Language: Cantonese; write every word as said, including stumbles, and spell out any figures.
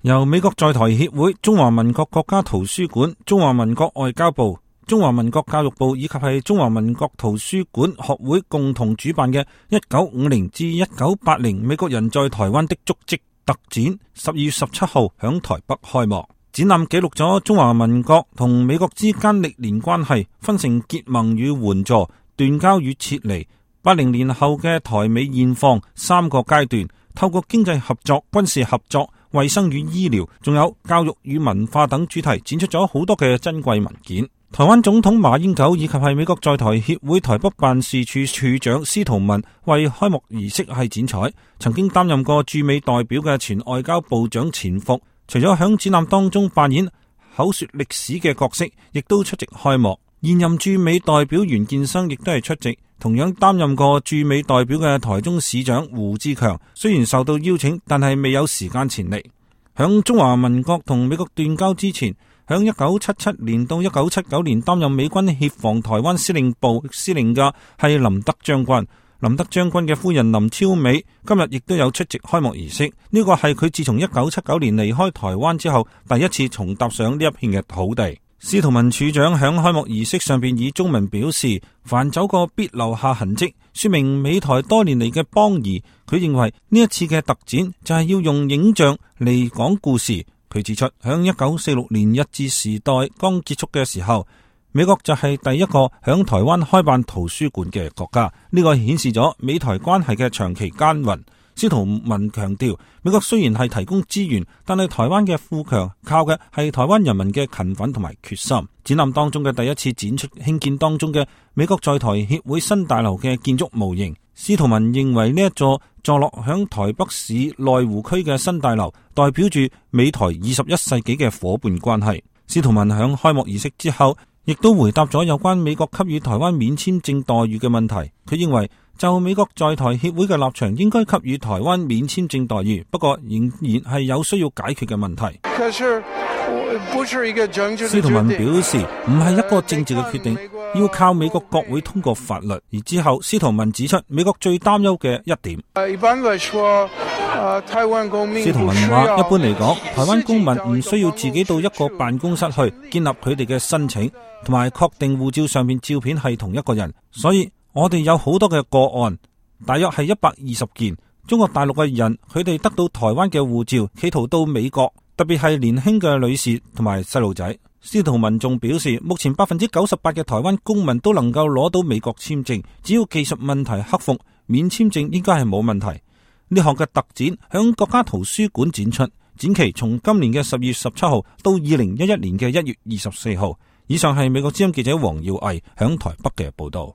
由美國在台協會、中華民國國家圖書館、中華民國外交部、中華民國教育部以及係中華民國圖書館學會共同主辦嘅一九五零至一九八零美國人在台灣的足跡特展，十二月十七號響台北開幕。展覽記錄咗中華民國同美國之間歷年關係，分成結盟與援助、斷交與撤離、八零年後嘅台美現況三個階段，透過經濟合作、軍事合作、衛生與醫療，仲有教育與文化等主題，展出咗好多嘅珍貴文件。台灣總統馬英九以及係美國在台協會台北辦事處處長司徒文為開幕儀式係剪彩。曾經擔任過駐美代表嘅前外交部長錢復，除咗響展覽當中扮演口說歷史嘅角色，亦都出席開幕。現任駐美代表袁建生亦都係出席。同樣擔任過駐美代表嘅台中市長胡志強，雖然受到邀請，但係未有時間前嚟。響中華民國同美國斷交之前，響一九七七年到一九七九年擔任美軍協防台灣司令部司令嘅係林德將軍。林德將軍嘅夫人林超美今日亦都有出席開幕儀式。呢個係佢自從一九七九年離開台灣之後第一次重踏上呢一片嘅土地。司徒文處長響開幕儀式上邊以中文表示，凡走過必留下痕跡，說明美台多年嚟嘅邦誼。佢認為呢一次嘅特展就係要用影像嚟講故事。佢指出，響一九四六年日治時代剛結束嘅時候，美國就係第一個響台灣開辦圖書館嘅國家。呢個顯示咗美台關係嘅長期耕耘。司徒文強調，美國雖然係提供資源，但係台灣嘅富強靠嘅係台灣人民嘅勤奮同埋決心。展覽當中嘅第一次展出興建當中嘅美國在台協會新大樓嘅建築模型。司徒文認為呢一座坐落響台北市內湖區嘅新大樓，代表住美台二十一世紀嘅夥伴關係。司徒文響開幕儀式之後，亦都回答咗有關美國給予台灣免簽證待遇嘅問題。佢認為就美國在台協會嘅立場，應該給予台灣免簽證待遇，不過仍然係有需要解決嘅問題。司徒文表示，唔係一個政治嘅決定，要靠美國國會通過法律。而之後，司徒文指出美國最擔憂嘅一點。司徒文話，一般嚟講，台灣公民唔需要自己到一個辦公室去建立佢哋嘅申請，同埋確定護照上面照片係同一個人。所以我哋有好多嘅個案，大約係一百二十件。中國大陸嘅人，佢哋得到台灣嘅護照，企圖到美國，特別係年輕嘅女士同埋細路仔。司徒文仲表示，目前百分之九十八嘅台灣公民都能夠攞到美國簽證，只要技術問題克服，免簽證應該係冇問題。呢項嘅特展響國家圖書館展出，展期從今年嘅十月十七號到二零一一年嘅一月二十四號。以上係美國之音記者黃耀毅響台北嘅報道。